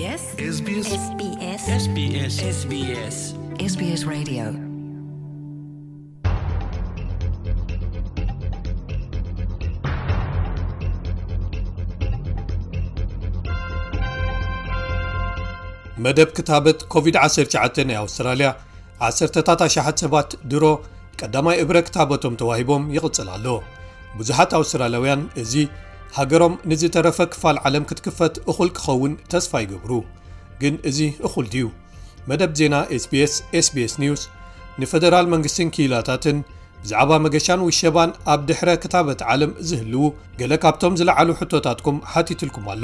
SBS SBS SBS SBS SBS Radio. መደብ ክታበት ኮቪድ ዓሰርተ ትሽዓተ ናይ ኣውስትራልያ፣ ዓሰርተታት ኣሽሓት ሰባት ድሮ ቀዳማይ እብረ ክታበቶም ተዋሂቦም ይቕጽል ኣሎ። ብዙሓት ኣውስትራልያውያን እዚ ሃገሮም ንዝተረፈ ክፋል ዓለም ክትክፈት እኹል ክኸውን ተስፋ ይገብሩ። ግን እዚ እኹል ድዩ? መደብ ዜና SBS SBS ኒውስ ንፈደራል መንግስትን ክኢላታትን ብዛዕባ መገሻን ውሸባን ኣብ ድሕረ ክታበት ዓለም ዝህልዉ ገለ ካብቶም ዝለዓሉ ሕቶታትኩም ሓቲትልኩም ኣሎ።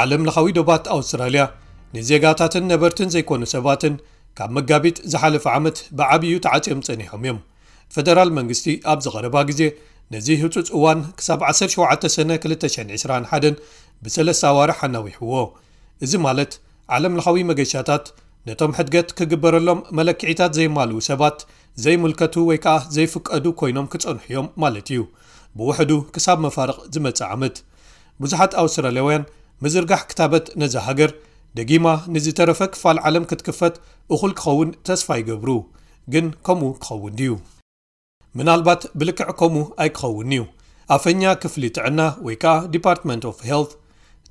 ዓለም ለኻዊ ዶባት ኣውስትራልያ ንዜጋታትን ነበርትን ዘይኮኑ ሰባትን ካብ መጋቢት ዝሓለፈ ዓመት ብዓብዩ ተዓጽዮም ጸኒሖም እዮም። ፈደራል መንግስቲ ኣብዚ ቀረባ ግዜ ነዚ ህጹጽ እዋን ክሳብ ዓሰርተ ሸውዓተ ሰነ ክልተ ሽሕን ዕስራን ሓደን ብሰለስተ ኣዋርሕ ኣናዊሕዎ። እዚ ማለት ዓለም ለኻዊ መገሻታት ነቶም ሕድገት ክግበረሎም መለክዒታት ዘይማልኡ ሰባት ዘይምልከቱ ወይ ከኣ ዘይፍቀዱ ኮይኖም ክጸንሑ እዮም ማለት እዩ። ብውሕዱ ክሳብ መፋርቕ ዝመጽእ ዓመት። ብዙሓት ኣውስትራልያውያን ምዝርጋሕ ክታበት ነዛ ሃገር ደጊማ ንዝተረፈ ክፋል ዓለም ክትክፈት እኹል ክኸውን ተስፋ ይገብሩ። ግን ከምኡ ክኸውን ድዩ? ምናልባት ብልክዕ ከምኡ ኣይክኸውን እዩ። ኣፈኛ ክፍሊ ጥዕና ወይ ከኣ ዲፓርትመንት ኦፍ ሄልት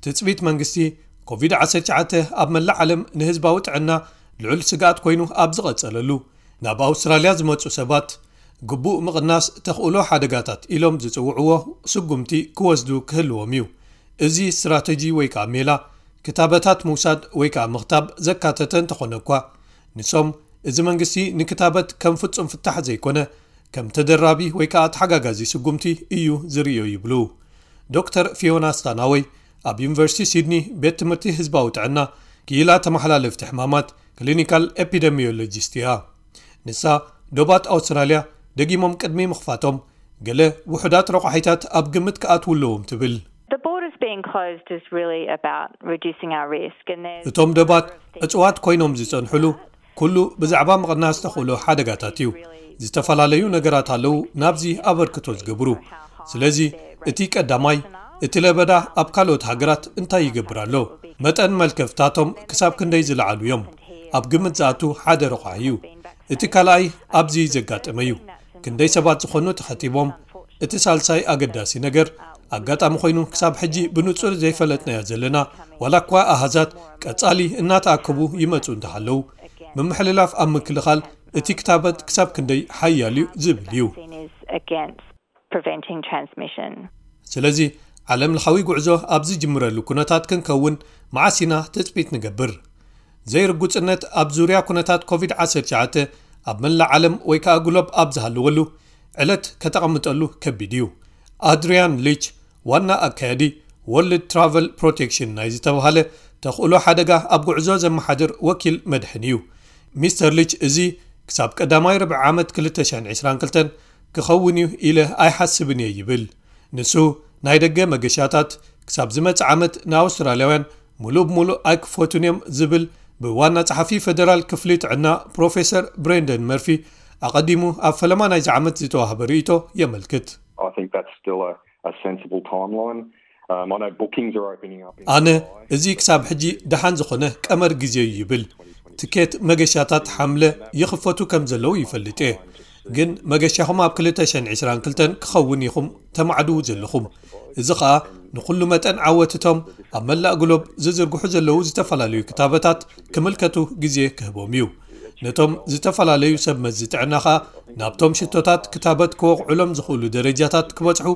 ትጽቢት መንግስቲ ኮቪድ ዓሰርተ ትሽዓተ ኣብ መላእ ዓለም ንህዝባዊ ጥዕና ልዑል ስግኣት ኮይኑ ኣብ ዝቐጸለሉ፣ ናብ ኣውስትራልያ ዝመጹ ሰባት ግቡእ ምቕናስ ተኽእሎ ሓደጋታት ኢሎም ዝጽውዕዎ ስጉምቲ ክወስዱ ክህልዎም እዩ። እዚ ስትራተጂ ወይ ከኣ ሜላ ክታበታት ምውሳድ ወይ ከኣ ምኽታብ ዘካተተ እንተኾነ እኳ፣ ንሶም እዚ መንግስቲ ንክታበት ከም ፍጹም ፍታሕ ዘይኮነ፣ ከም ተደራቢ ወይ ከኣ ተሓጋጋዚ ስጉምቲ እዩ ዝርእዮ ይብሉ። ዶክተር ፊዮና ስታናወይ ኣብ ዩኒቨርሲቲ ሲድኒ ቤት ትምህርቲ ህዝባዊ ጥዕና ክኢላ ተመሓላለፍቲ ሕማማት ክሊኒካል ኤፒደሚዮሎጂስት እያ። ንሳ ዶባት ኣውስትራልያ ደጊሞም ቅድሚ ምኽፋቶም ገለ ውሑዳት ረቋሒታት ኣብ ግምት ክኣትዉ ኣለዎም ትብል። The borders being closed is really about reducing our risk, and there's እቶም ደባት ዕጽዋት ኮይኖም ዝጸንሕሉ ኩሉ ብዛዕባ ምቕናስ ተኽእሎ ሓደጋታት እዩ። ዝተፈላለዩ ነገራት ኣለዉ ናብዚ ኣበርክቶ ዝገብሩ። ስለዚ እቲ ቀዳማይ፣ እቲ ለበዳ ኣብ ካልኦት ሃገራት እንታይ ይገብር ኣሎ? መጠን መልከፍታቶም ክሳብ ክንደይ ዝለዓሉ እዮም? ኣብ ግምት ዝኣቱ ሓደ ረቋሒ እዩ። እቲ ካልኣይ ኣብዚ ዘጋጠመ እዩ። ክንደይ ሰባት ዝኾኑ ተኸቲቦም? እቲ ሳልሳይ ኣገዳሲ ነገር፣ ኣጋጣሚ ኮይኑ ክሳብ ሕጂ ብንጹር ዘይፈለጥናዮ ዘለና፣ ዋላ እኳ ኣሃዛት ቀጻሊ እናተኣከቡ ይመጹ እንተሃለዉ፣ ምምሕልላፍ ኣብ ምክልኻል እቲ ክታበት ክሳብ ክንደይ ሓያል እዩ ዝብል እዩ። Against preventing transmission. ስለዚ ዓለም ለኻዊ ጉዕዞ ኣብ ዝጅምረሉ ኩነታት ክንከውን መዓስ ኢና ትጽቢት ንገብር? ዘይርጉጽነት ኣብ ዙርያ ኩነታት ኮቪድ ዓሰርተ ትሽዓተ ኣብ መላእ ዓለም ወይ ከኣ ግሎብ ኣብ ዝሃለወሉ ዕለት ከተቐምጠሉ ከቢድ እዩ። ኣድሪያን ሊች ዋና ኣካያዲ ወርልድ ትራቨል ፕሮቴክሽን ናይ ዝተባህለ ተኽእሎ ሓደጋ ኣብ ጉዕዞ ዘመሓድር ወኪል መድሕን እዩ። ሚስተር ሊች እዚ ክሳብ ቀዳማይ ርብዒ ዓመት ክልተ ሽሕን ዕስራን ክልተን ክኸውን እዩ ኢለ ኣይሓስብን እየ ይብል። ንሱ ናይ ደገ መገሻታት ክሳብ ዝመጽእ ዓመት ንኣውስትራልያውያን ሙሉእ ብሙሉእ ኣይክፈቱን እዮም ዝብል ብዋና ጸሓፊ ፈደራል ክፍሊ ጥዕና ፕሮፌሰር ብሬንደን መርፊ ኣቐዲሙ ኣብ ፈለማ ናይዚ ዓመት ዝተዋህበ ርእይቶ የመልክት። I think that's still a, a sensible timeline. Um, I know bookings are opening up in ኣነ July. እዚ ክሳብ ሕጂ ደሓን ዝኾነ ቀመር ግዜ እዩ ይብል። ትኬት መገሻታት ሓምለ ይኽፈቱ ከም ዘለዉ ይፈልጥ እየ። ግን መገሻኹም ኣብ ክልተ ሽሕን ዕስራን ክልተን ክኸውን ኢኹም ተማዕድዉ ዘለኹም። እዚ ኸኣ ንኹሉ መጠን ዓወትቶም ኣብ መላእ ግሎብ ዝዝርግሑ ዘለዉ ዝተፈላለዩ ክታበታት ክምልከቱ ግዜ ክህቦም እዩ። ነቶም ዝተፈላለዩ ሰብ መዚ ጥዕና ኸኣ ናብቶም ሽቶታት ክታበት ክወቕዑሎም ዝኽእሉ ደረጃታት ክበጽሑ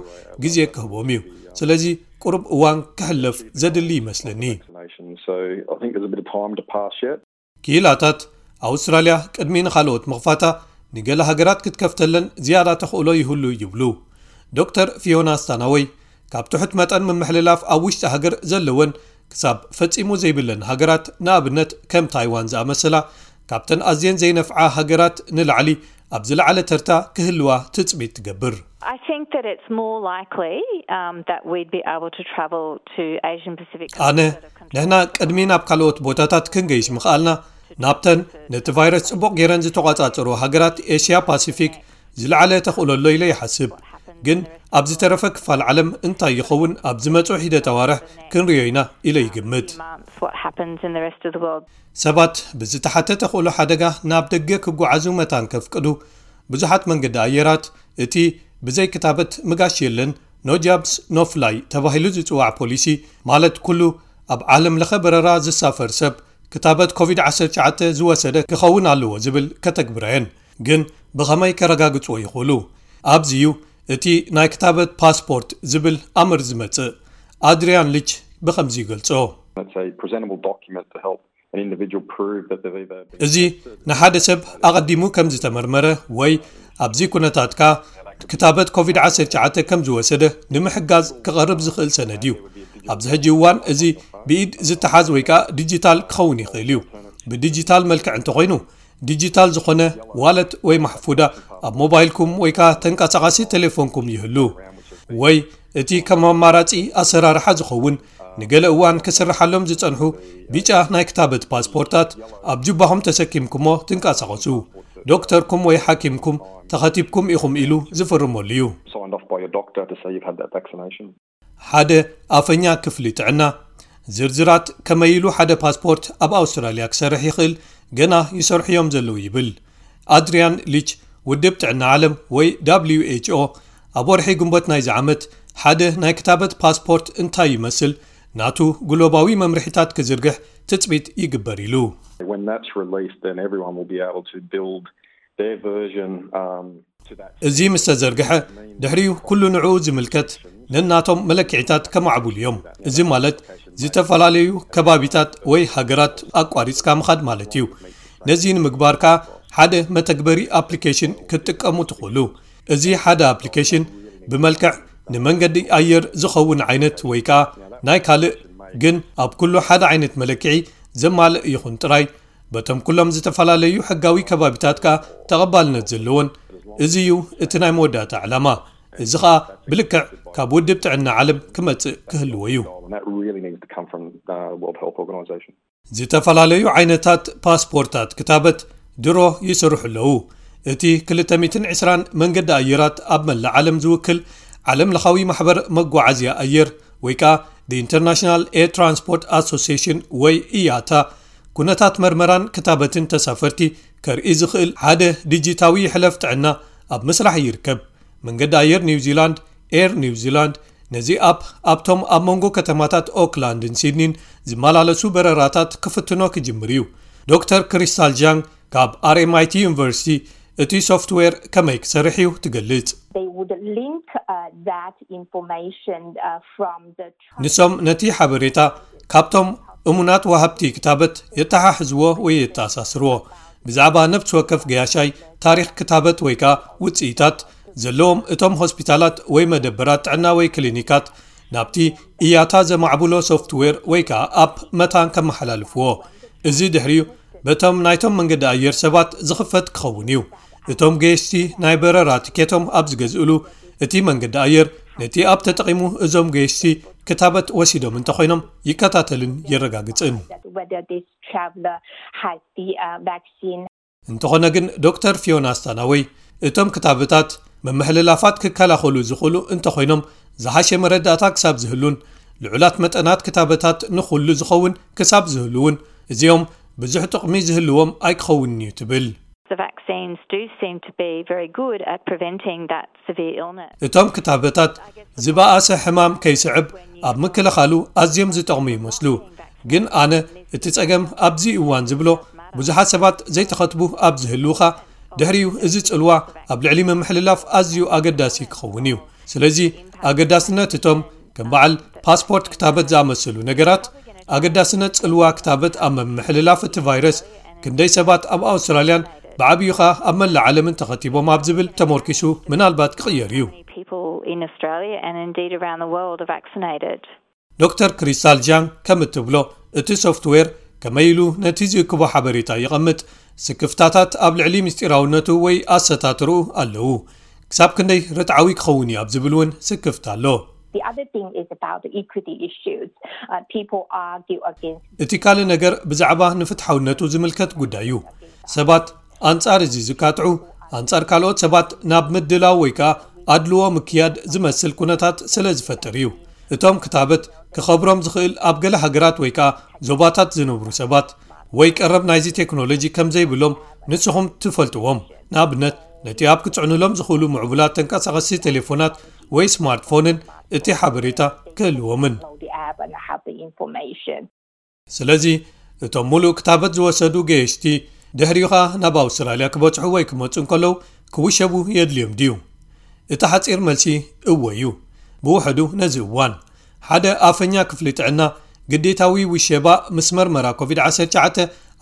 ግዜ ክህቦም እዩ። ስለዚ ቁሩብ እዋን ክሕለፍ ዘድሊ ይመስለኒ። Vaccination. So I think there's a bit of time to pass yet. ክኢላታት ኣውስትራልያ ቅድሚ ንኻልኦት ምኽፋታ ንገለ ሃገራት ክትከፍተለን ዝያዳ ተኽእሎ ይህሉ ይብሉ። ዶክተር ፊዮና ስታናወይ ካብ ትሑት መጠን ምምሕልላፍ ኣብ ውሽጢ ሃገር ዘለወን ክሳብ ፈጺሙ ዘይብለን ሃገራት ንኣብነት ከም ታይዋን ዝኣመሰላ ካብተን ኣዝየን ዘይነፍዓ ሃገራት ንላዕሊ ኣብ ዝለዓለ ተርታ ክህልዋ ትጽቢት ትገብር። I think that it's more likely um, that we'd be able to travel to Asian Pacific ኣነ countries that have ንሕና ቅድሚ ናብ ካልኦት ቦታታት ክንገይሽ ምኽኣልና ናብተን ነቲ ቫይረስ ጽቡቕ ገይረን ዝተቋጻጸሩ ሃገራት ኤሽያ ፓሲፊክ ዝለዓለ ተኽእሎ ኣሎ ኢለ ይሓስብ። ግን ኣብ ዝተረፈ ክፋል ዓለም እንታይ ይኸውን ኣብ ዝመጽኡ ሒደት ኣዋርሕ ክንርእዮ ኢና ኢለ ይግምት። ሰባት ብዝተሓተ ተኽእሎ ሓደጋ ናብ ደገ ክጓዓዙ መታን ከፍቅዱ ብዙሓት መንገዲ ኣየራት እቲ ብዘይ ክታበት ምጋሽ የለን፣ no jobs no fly ተባሂሉ ዝጽዋዕ ፖሊሲ፣ ማለት ኩሉ ኣብ ዓለም ለኸ በረራ ዝሳፈር ሰብ ክታበት ኮቪድ ዓሰርተ ትሽዓተ ዝወሰደ ክኸውን ኣለዎ ዝብል ከተግብራ እየን። ግን ብኸመይ ከረጋግጽዎ ይኽእሉ? ኣብዚ እዩ እቲ ናይ ክታበት ፓስፖርት ዝብል ኣምር ዝመጽእ። ኣድሪያን ሊች ብኸምዚ ይገልጾ። It's a presentable document to help an individual prove that they've either been እዚ ንሓደ ሰብ ኣቐዲሙ ከም ዝተመርመረ ወይ ኣብዚ ኩነታትካ ክታበት ኮቪድ ዓሰርተ ትሽዓተ ከም ዝወሰደ ንምሕጋዝ ክቐርብ ዝኽእል ሰነድ እዩ። ኣብዚ ሕጂ እዋን እዚ ብኢድ ዝተሓዝ ወይ ከዓ ዲጂታል ክኸውን ይኽእል እዩ። ብዲጂታል መልክዕ እንተኾይኑ ዲጂታል ዝኾነ ዋለት ወይ ማሕፉዳ ኣብ ሞባይልኩም ወይ ከዓ ተንቀሳቓሲ ቴሌፎንኩም ይህሉ። ወይ እቲ ከም ኣማራጺ ኣሰራርሓ ዝኸውን ንገለ እዋን ክስርሓሎም ዝጸንሑ ቢጫ ናይ ክታበት ፓስፖርታት ኣብ ጁባኹም ተሰኪምኩሞ ትንቀሳቐሱ። ዶክተርኩም ወይ ሓኪምኩም ተኸቲብኩም ኢኹም ኢሉ ዝፍርመሉ እዩ። Signed off by your doctor to say you've had that vaccination. ሓደ ኣፈኛ ክፍሊ ጥዕና ዝርዝራት ከመይ ኢሉ ሓደ ፓስፖርት ኣብ ኣውስትራልያ ክሰርሕ ይኽእል ገና ይሰርሑ እዮም ዘለዉ ይብል ኣድሪያን ሊች። ውድብ ጥዕና ዓለም ወይ W H O ኣብ ወርሒ ግንቦት ናይዚ ዓመት ሓደ ናይ ክታበት ፓስፖርት እንታይ ይመስል ናቱ ግሎባዊ መምርሒታት ክዝርግሕ ትጽቢት ይግበር ኢሉ። When that's released, then everyone will be able to build their version um, to that. እዚ ምስ ተዘርግሐ ድሕሪኡ ኩሉ ንዕኡ ዝምልከት ነናቶም መለክዒታት ከማዕብሉ እዮም። እዚ ማለት ዝተፈላለዩ ከባቢታት ወይ ሃገራት ኣቋሪጽካ ምኻድ ማለት እዩ። ነዚ ንምግባር ከኣ ሓደ መተግበሪ ኣፕሊኬሽን ክትጥቀሙ ትኽእሉ። እዚ ሓደ ኣፕሊኬሽን ብመልክዕ ንመንገዲ ኣየር ዝኸውን ዓይነት ወይ ከኣ ናይ ካልእ ግን ኣብ ኩሉ ሓደ ዓይነት መለክዒ ዘማልእ ይኹን ጥራይ በቶም ኩሎም ዝተፈላለዩ ሕጋዊ ከባቢታት ከኣ ተቐባልነት ዘለዎን። እዚ እዩ እቲ ናይ መወዳእታ ዕላማ። እዚ ኸኣ ብልክዕ ካብ ውድብ ጥዕና ዓለም ክመጽእ ክህልዎ እዩ። And that really needs to come from the World Health Organization. ዝተፈላለዩ ዓይነታት ፓስፖርታት ክታበት ድሮ ይስርሑ ኣለዉ። እቲ ክልተ ሚእትን ዕስራን መንገዲ ኣየራት ኣብ መላእ ዓለም ዝውክል ዓለም ለኻዊ ማሕበር መጓዓዝያ ኣየር ወይ ከኣ the International Air Transport Association ወይ ኢያታ ኩነታት መርመራን ክታበትን ተሳፈርቲ ከርኢ ዝኽእል ሓደ ዲጂታዊ ይሕለፍ ጥዕና ኣብ ምስራሕ ይርከብ። መንገዲ ኣየር ኒውዚላንድ ኤር ኒውዚላንድ ነዚ ኣፕ ኣብቶም ኣብ መንጎ ከተማታት ኦክላንድን ሲድኒን ዝመላለሱ በረራታት ክፍትኖ ክጅምር እዩ። ዶክተር ክሪስታል ጃንግ ካብ R M I T ዩኒቨርሲቲ እቲ ሶፍትዌር ከመይ ክሰርሕ እዩ ትገልጽ። They would link uh, that information uh, from the ንሶም ነቲ ሓበሬታ ካብቶም እሙናት ወሃብቲ ክታበት የተሓሕዝዎ ወይ የተኣሳስርዎ። ብዛዕባ ነፍሲ ወከፍ ገያሻይ ታሪኽ ክታበት ወይ ከኣ ውጽኢታት ዘለዎም እቶም ሆስፒታላት ወይ መደበራት ጥዕና ወይ ክሊኒካት ናብቲ ኢያታ ዘማዕብሎ ሶፍትዌር ወይ ከኣ ኣፕ መታን ከመሓላልፍዎ። እዚ ድሕሪኡ በቶም ናይቶም መንገዲ ኣየር ሰባት ዝኽፈት ክኸውን እዩ። እቶም ገየሽቲ ናይ በረራ ትኬቶም ኣብ ዝገዝእሉ እቲ መንገዲ ኣየር ነቲ ኣፕ ተጠቒሙ እዞም ገየሽቲ ክታበት ወሲዶም እንተኾይኖም ይከታተልን የረጋግጽን። Whether this traveler has the uh, vaccine. እንተኾነ ግን ዶክተር ፊዮና ስታናወይ እቶም ክታበታት መምሕልላፋት ክከላኸሉ ዝኽእሉ እንተኾይኖም ዝሓሸ መረዳእታ ክሳብ ዝህሉን ልዑላት መጠናት ክታበታት ንኹሉ ዝኸውን ክሳብ ዝህሉ እውን እዚኦም ብዙሕ ጥቕሚ ዝህልዎም ኣይክኸውንን እዩ ትብል። The vaccines do seem to be very good at preventing that severe illness. እቶም ክታበታት ዝበኣሰ ሕማም ከይስዕብ ኣብ ምክልኻሉ ኣዝዮም ዝጠቕሙ ይመስሉ። ግን ኣነ እቲ ጸገም ኣብዚ እዋን ዝብሎ ብዙሓት ሰባት ዘይተኸትቡ ኣብ ዝህልውኻ ድሕሪኡ እዚ ጽልዋ ኣብ ልዕሊ ምምሕልላፍ ኣዝዩ ኣገዳሲ ክኸውን እዩ። ስለዚ ኣገዳስነት እቶም ከም በዓል ፓስፖርት ክታበት ዝኣመሰሉ ነገራት ኣገዳስነት ጽልዋ ክታበት ኣብ ምምሕልላፍ እቲ ቫይረስ ክንደይ ሰባት ኣብ ኣውስትራልያን ብዓብዩ ኸኣ ኣብ መላእ ዓለምን ተኸቲቦም ኣብ ዝብል ተመርኪሱ ምናልባት ክቕየር እዩ። People in Australia and indeed around the world are vaccinated. ዶክተር ክሪስታል ጃንግ ከም እትብሎ እቲ ሶፍትዌር ከመይ ኢሉ ነቲ ዝእክቦ ሓበሬታ ይቐምጥ፣ ስክፍታታት ኣብ ልዕሊ ምስጢራውነቱ ወይ ኣሰታትርኡ ኣለዉ። ክሳብ ክንደይ ርትዓዊ ክኸውን እዩ ኣብ ዝብል እውን ስክፍታ ኣሎ። The other thing is about the equity issues. Uh, people argue against እቲ ካልእ ነገር ብዛዕባ ንፍትሓውነቱ ዝምልከት ጉዳይ እዩ። ሰባት ኣንጻር እዚ ዝካትዑ ኣንጻር ካልኦት ሰባት ናብ ምድላው ወይ ከኣ ኣድልዎ ምክያድ ዝመስል ኩነታት ስለ ዝፈጥር እዩ። እቶም ክታበት ክኸብሮም ዝኽእል ኣብ ገለ ሃገራት ወይ ከዓ ዞባታት ዝነብሩ ሰባት ወይ ቀረብ ናይዚ ቴክኖሎጂ ከም ዘይብሎም ንስኹም ትፈልጥዎም። ንኣብነት፣ ነቲ ኣብ ክጽዕኑሎም ዝኽእሉ ምዕቡላት ተንቀሳቐሲ ቴሌፎናት ወይ ስማርትፎንን እቲ ሓበሬታ ክህልዎምን። Download the app and have the information. ስለዚ እቶም ሙሉእ ክታበት ዝወሰዱ ገየሽቲ ድሕሪኡ ኸኣ ናብ ኣውስትራልያ ክበጽሑ ወይ ክመጹ እንከለዉ ክውሸቡ የድልዮም ድዩ? እቲ ሓጺር መልሲ እወ እዩ። ብውሕዱ ነዚ እዋን ሓደ ኣፈኛ ክፍሊ ጥዕና ግዴታዊ ውሸባ ምስ መርመራ ኮቪድ ዓሰርተ ትሽዓተ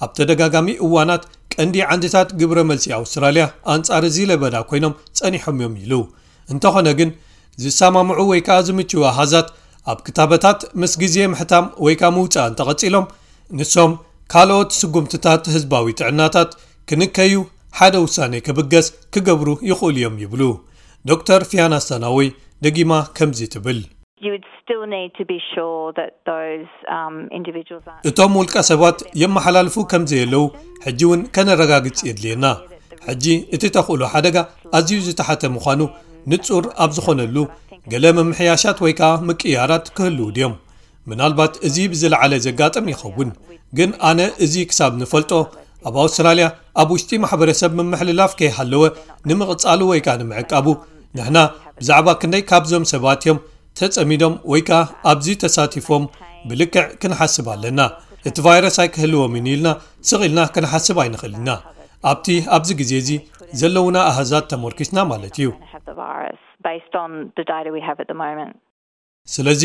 ኣብ ተደጋጋሚ እዋናት ቀንዲ ዓንድታት ግብረ መልሲ ኣውስትራልያ ኣንጻር እዚ ለበዳ ኮይኖም ጸኒሖም እዮም ኢሉ። እንተኾነ ግን ዝሰማምዑ ወይ ከዓ ዝምችኡ ኣሃዛት ኣብ ክታበታት ምስ ግዜ ምሕታም ወይ ከዓ ምውፃእ እንተቐፂሎም ንሶም ካልኦት ስጉምትታት ህዝባዊ ጥዕናታት ክንከዩ ሓደ ውሳኔ ክብገስ ክገብሩ ይኽእሉ እዮም ይብሉ። ዶክተር ፊያና ሳናወይ ደጊማ ከምዚ ትብል። You would still need to be sure that those um, individuals aren't. እቶም ውልቀ ሰባት የመሓላልፉ ከም ዘየለዉ ሕጂ እውን ከነረጋግጽ የድልየና። ሕጂ እቲ ተኽእሎ ሓደጋ ኣዝዩ ዝተሓተ ምዃኑ ንጹር ኣብ ዝኾነሉ ገለ ምምሕያሻት ወይ ከኣ ምቅያራት ክህልዉ ድዮም? ምናልባት እዚ ብዝለዓለ ዘጋጥም ይኸውን። ግን ኣነ እዚ ክሳብ ንፈልጦ ኣብ ኣውስትራልያ ኣብ ውሽጢ ማሕበረሰብ ምምሕልላፍ ከይሃለወ ንምቕጻሉ ወይ ከኣ ንምዕቃቡ ንሕና ብዛዕባ ክንደይ ካብዞም ሰባት እዮም ተጸሚዶም ወይ ከኣ ኣብዚ ተሳቲፎም ብልክዕ ክንሓስብ ኣለና። እቲ ቫይረስ ኣይክህልዎም እዩ ኢልና ስቕ ኢልና ክንሓስብ ኣይንኽእል ኢና። ኣብቲ ኣብዚ ግዜ እዚ ዘለውና ኣሃዛት ተመርኪስና ማለት እዩ። Have the virus based on the data we have at the moment. ስለዚ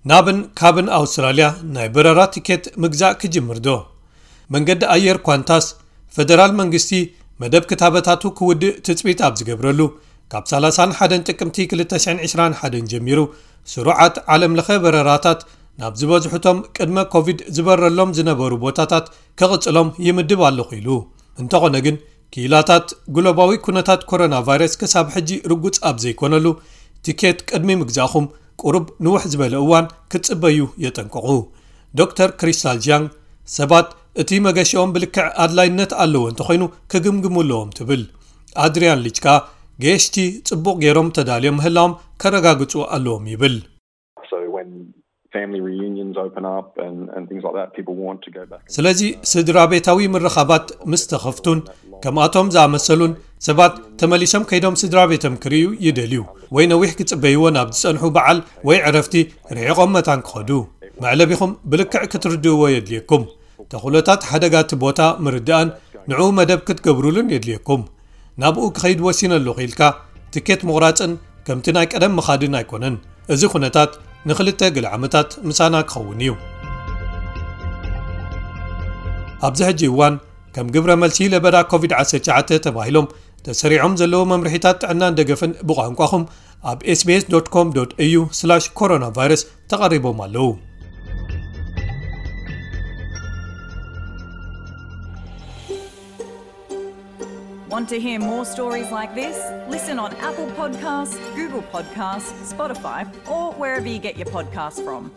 ናብን ካብን ኣውስትራልያ ናይ በረራ ቲኬት ምግዛእ ክጅምር ዶ? መንገዲ ኣየር ኳንታስ ፈደራል መንግስቲ መደብ ክታበታቱ ክውድእ ትጽቢት ኣብ ዝገብረሉ ካብ ሰላሳን ሓደን ጥቅምቲ ክልተ ሽሕን ዕስራን ሓደን ጀሚሩ ስሩዓት ዓለም ለኸ በረራታት ናብ ዝበዝሑቶም ቅድመ ኮቪድ ዝበረሎም ዝነበሩ ቦታታት ክቕጽሎም ይምድብ ኣለኹ ኢሉ። እንተኾነ ግን ክኢላታት ግሎባዊ ኩነታት ኮሮና ቫይረስ ክሳብ ሕጂ ርጉጽ ኣብ ዘይኮነሉ ቲኬት ቅድሚ ምግዛእኹም ቁሩብ ንውሕ ዝበለ እዋን ክትጽበዩ የጠንቅቑ። ዶክተር ክሪስታል ጃንግ ሰባት እቲ መገሽኦም ብልክዕ ኣድላይነት ኣለዎ እንተኾይኑ ክግምግሙ ኣለዎም ትብል። ኣድሪያን ሊች ከኣ ገየሽቲ ጽቡቕ ገይሮም ተዳልዮም ምህላዎም ከረጋግጹ ኣለዎም ይብል። So when family reunions open up and, and things like that, people want to go back. ስለዚ ስድራ ቤታዊ ምርኻባት ምስ ተኸፍቱን ከምኣቶም ዝኣመሰሉን ሰባት ተመሊሶም ከይዶም ስድራ ቤቶም ክርእዩ ይደልዩ ወይ ነዊሕ ክጽበይዎ ናብ ዝጸንሑ በዓል ወይ ዕረፍቲ ርሒቖም መታን ክኸዱ። መዕለቢኹም ብልክዕ ክትርድእዎ የድልየኩም። ተኽእሎታት ሓደጋ እቲ ቦታ ምርዳእን ንዕኡ መደብ ክትገብሩሉን የድልየኩም። ናብኡ ክኸይድ ወሲነ ኣለኹ ኢልካ ትኬት ምቑራጽን ከምቲ ናይ ቀደም ምኻድን ኣይኮነን። እዚ ኩነታት ንኽልተ ገለ ዓመታት ምሳና ክኸውን እዩ። ኣብዚ ሕጂ እዋን ከም ግብረ መልሲ ለበዳ ኮቪድ ዓሰርተ ትሽዓተ ተባሂሎም ተሰሪዖም ዘለዉ መምርሒታት ጥዕናን ደገፍን ብቋንቋኹም ኣብ ኤስቢኤስ ዶት ኮም ዶት ኤዩ ስላሽ ኮሮና ቫይረስ ተቐሪቦም ኣለዉ። Want to hear more stories like this? Listen on Apple Podcasts, Google Podcasts, Spotify, or wherever you get your podcasts from.